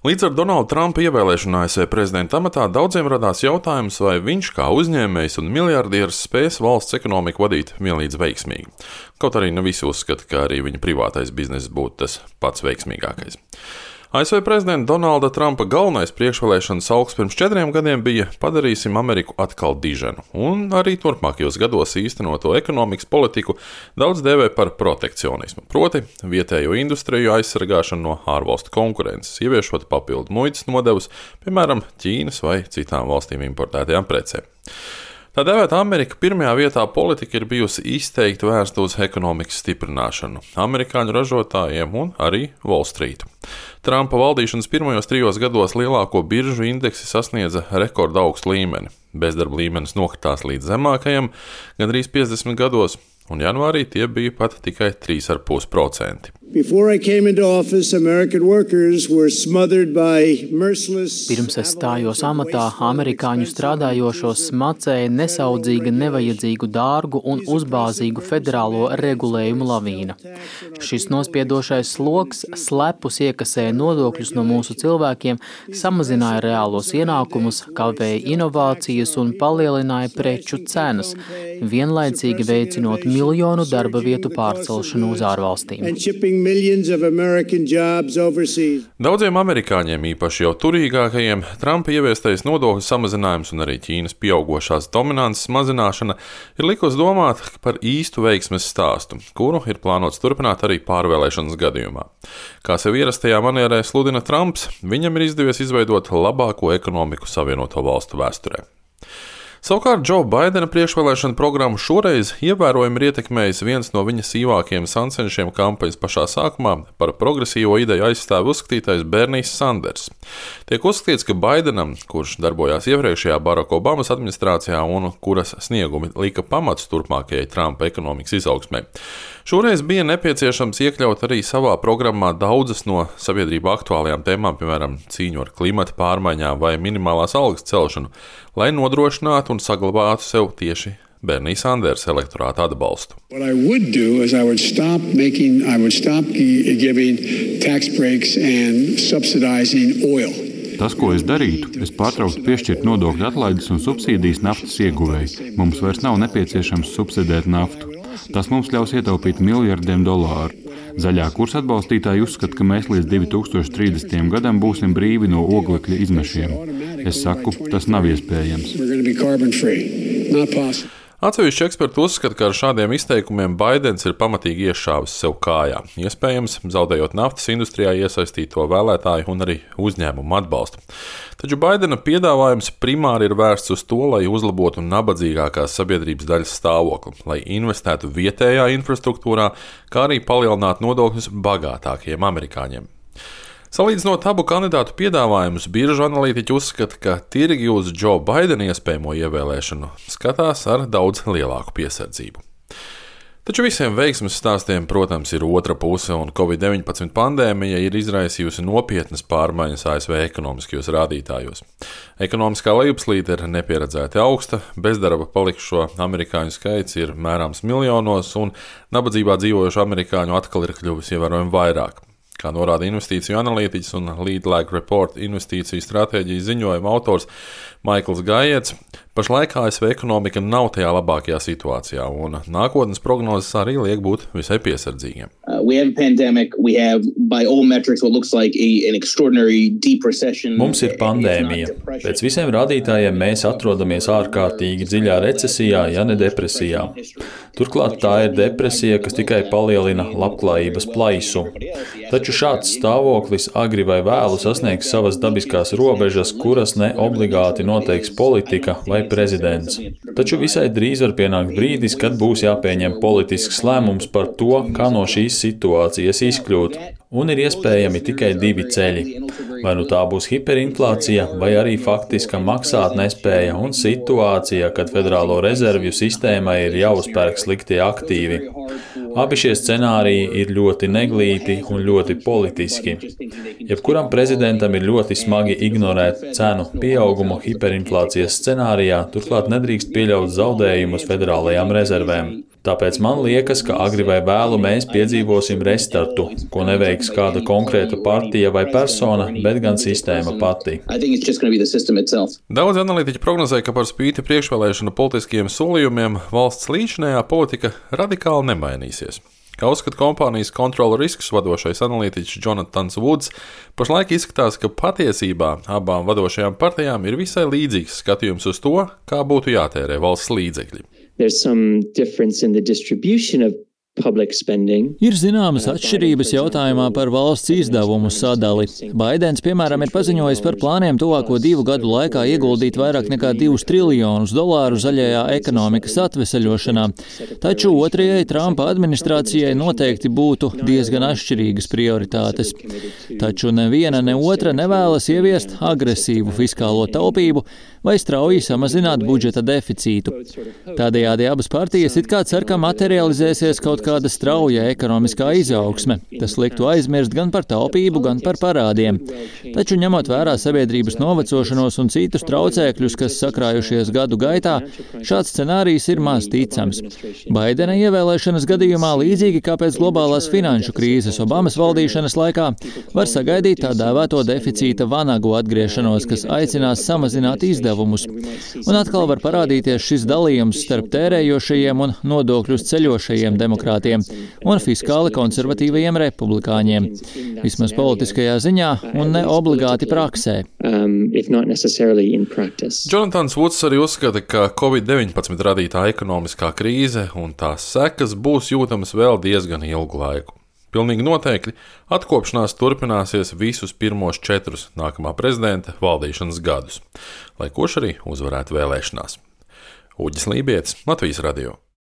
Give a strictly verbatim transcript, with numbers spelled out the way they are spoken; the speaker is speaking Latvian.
Līdz ar Donalda Trumpa ievēlēšanu A S V prezidenta amatā daudziem radās jautājums, vai viņš kā uzņēmējs un miljardieris spēs valsts ekonomiku vadīt vienlīdz veiksmīgi. Kaut arī ne visi uzskata, ka arī viņa privātais bizness būtu tas pats veiksmīgākais. A S V prezidenta Donalda Trumpa galvenais priekšvēlēšanas augs pirms četriem gadiem bija padarīsim Ameriku atkal diženu, un arī turpmākajos gados īstenoto ekonomikas politiku daudz dēvē par protekcionismu, proti vietējo industriju aizsargāšanu no ārvalstu konkurences, ieviešot papildu muitas nodevus, piemēram, Ķīnas vai citām valstīm importētajām precēm. Tā dēvēta Amerika pirmajā vietā politika ir bijusi izteikti vērsta uz ekonomikas stiprināšanu, amerikāņu ražotājiem un arī Wall Street. Trumpa valdīšanas pirmajos trijos gados lielāko biržu indeksi sasniedza rekorda augstu līmeni. Bezdarba līmenis nokritās līdz zemākajam, gandrīz piecdesmit gados, un janvārī tie bija pat tikai trīs komats pieci procenti. Pirms es stājos amatā, amerikāņu strādājošos smacēja nesaudzīga, nevajadzīgu, dārgu un uzbāzīgu federālo regulējumu lavīna. Šis nospiedošais sloks slepus iekasēja nodokļus no mūsu cilvēkiem, samazināja reālos ienākumus, kavēja inovācijas un palielināja preču cenas, vienlaicīgi veicinot miljonu darba vietu pārcelšanu uz ārvalstīm. Daudziem amerikāņiem, īpaši jau turīgākajiem, Trumpa ieviestais nodokļu samazinājums un arī Ķīnas pieaugošās dominances mazināšana ir likusi domāt par īstu veiksmes stāstu, kuru ir plānots turpināt arī pārvēlēšanas gadījumā. Kā sev ierastajā manierē sludina Trumps, viņam ir izdevies izveidot labāko ekonomiku Savienoto Valstu vēsturē. Savukārt Džo Baidena priekšvēlēšana programmu šoreiz ievērojami ir ietekmējis viens no viņa sīvākajiem sancenšiem kampaņas pašā sākumā par progresīvo ideju aizstāvi uzskatītais Bernijs Sanders. Tiek uzskatīts, ka Baidenam, kurš darbojās iepriekšējā Baraka Obamas administrācijā un kuras sniegumi lika pamats turpmākajai Trumpa ekonomikas izaugsmē, šoreiz bija nepieciešams iekļaut arī savā programmā daudzas no sabiedrībā aktuālajām tēmām, piemēram, cīņu ar klimata pārmaiņām vai minimālās algas celšanu, lai nodrošinātu un saglabātu sev tieši Bernija Sandersa elektorāta atbalstu. Tas, ko es darītu, es pārtrauktu piešķirt nodokļu atlaides un subsīdijas naftas ieguvēji. Mums vairs nav nepieciešams subsidēt naftu. Tas mums ļaus ietaupīt miljardiem dolāru. Zaļā kursa atbalstītāji uzskata, ka mēs līdz divi tūkstoši trīsdesmitajam gadam būsim brīvi no oglekļa izmešiem. Es saku, tas nav iespējams. Atsevišķi eksperti uzskata, ka ar šādiem izteikumiem Baidens ir pamatīgi iešāvis sev kājā, iespējams, zaudējot naftas industrijā iesaistīto vēlētāju un arī uzņēmumu atbalstu. Taču Baidena piedāvājums primāri ir vērsts uz to, lai uzlabotu nabadzīgākās sabiedrības daļas stāvokli, lai investētu vietējā infrastruktūrā, kā arī palielinātu nodokļus bagātākajiem amerikāņiem. Salīdzinot abu kandidātu piedāvājumus, biržu analītiķi uzskata, ka tirgi uz Džo Baidena iespējamo ievēlēšanu skatās ar daudz lielāku piesardzību. Taču visiem veiksmes stāstiem, protams, ir otra puse, un covid deviņpadsmit pandēmija ir izraisījusi nopietnas pārmaiņas A S V ekonomiskajos rādītājos. Ekonomiskā lejupslīde ir nepieredzēti augsta, bezdarba palikušo amerikāņu skaits ir mērāms miljonos, un nabadzībā dzīvojušo amerikāņu atkal ir kļuvis ievērojami vairāk. Kā norāda investīciju analītiķis un Lead Lag Report investīciju stratēģijas ziņojuma autors Maikls Gaiets, pašlaik A S V ekonomika nav tajā labākajā situācijā, un nākotnes prognozes arī liek būt visai piesardzīgiem. Uh, we have a pandemic, we have by all metrics what looks like a, an extraordinary deep recession. Mums ir pandēmija. Pēc visiem rādītājiem mēs atrodamies ārkārtīgi dziļā recesijā, ja ne depresijā. Turklāt tā ir depresija, kas tikai palielina labklājības plaisu. Taču šāds stāvoklis agri vai vēlu sasniegs savas dabiskās robežas, kuras ne obligāti noteiks politika vai prezidents. Taču visai drīz var pienākt brīdis, kad būs jāpieņem politisks lēmums par to, kā no šīs situācijas izkļūt. Un ir iespējami tikai divi ceļi. Vai nu tā būs hiperinflācija, vai arī faktiska maksāt nespēja un situācija, kad federālo rezervju sistēmai ir jāuzpērk sliktie aktīvi. Abi šie scenāriji ir ļoti neglīti un ļoti politiski. Jebkuram prezidentam ir ļoti smagi ignorēt cenu pieaugumu hiperinflācijas scenārijā, turklāt nedrīkst pieļaut zaudējumus federālajām rezervēm. Tāpēc man liekas, ka agri vai vēlu mēs piedzīvosim restartu, ko neveiks kāda konkrēta partija vai persona, bet gan sistēma pati. Daudz analītiķi prognozē, ka par spīti priekšvēlēšanu politiskiem solījumiem valsts līdzinējā politika radikāli nemainīsies. Kā uzskata kompānijas Control Risks vadošais analītiķis Jonathans Woods, pašlaik izskatās, ka patiesībā abām vadošajām partijām ir visai līdzīgs skatījums uz to, kā būtu jātērē valsts līdzekļi. There's some difference in the distribution of public spending. Ir zināmas atšķirības jautājumā par valsts izdevumu sadali. Baidens, piemēram, ir paziņojis par plāniem tuvāko divu gadu laikā ieguldīt vairāk nekā divus triljonus dolāru zaļajā ekonomikas atveseļošanā. Taču otrajai Trumpa administrācijai noteikti būtu diezgan atšķirīgas prioritātes. Taču neviena ne otra nevēlas ieviest agresīvu fiskālo taupību vai strauji samazināt budžeta deficītu. Tādējādi abas partijas it kā cer, ka materializēsies kaut kāda strauja ekonomiskā izaugsme. Tas liktu aizmirst gan par taupību, gan par parādiem. Taču ņemot vērā sabiedrības novecošanos un citus traucēkļus, kas sakrājušies gadu gaitā, šāds scenārijs ir maz ticams. Baidena ievēlēšanas gadījumā, līdzīgi kā pēc globālās finanšu krīzes Obamas valdīšanas laikā, var sagaidīt tā dēvēto deficīta vanagu atgriešanos, kas aicinās samazināt izdevumus. Un atkal var parādīties šis dalījums starp tērējošajiem un nodokļus ceļošajiem demokrātiem un fiskāli konservatīvajiem republikāņiem. Vismaz politiskajā ziņā un ne obligāti praksē. Um, if not necessarily in practice. Jonathans Woods arī uzskata, ka covid deviņpadsmit radītā ekonomiskā krīze un tās sekas būs jūtamas vēl diezgan ilgu laiku. Pilnīgi noteikti atkopšanās turpināsies visus pirmos četrus nākamā prezidenta valdīšanas gadus, lai kurš arī uzvarētu vēlēšanās. Uģis Lībietis, Latvijas radio.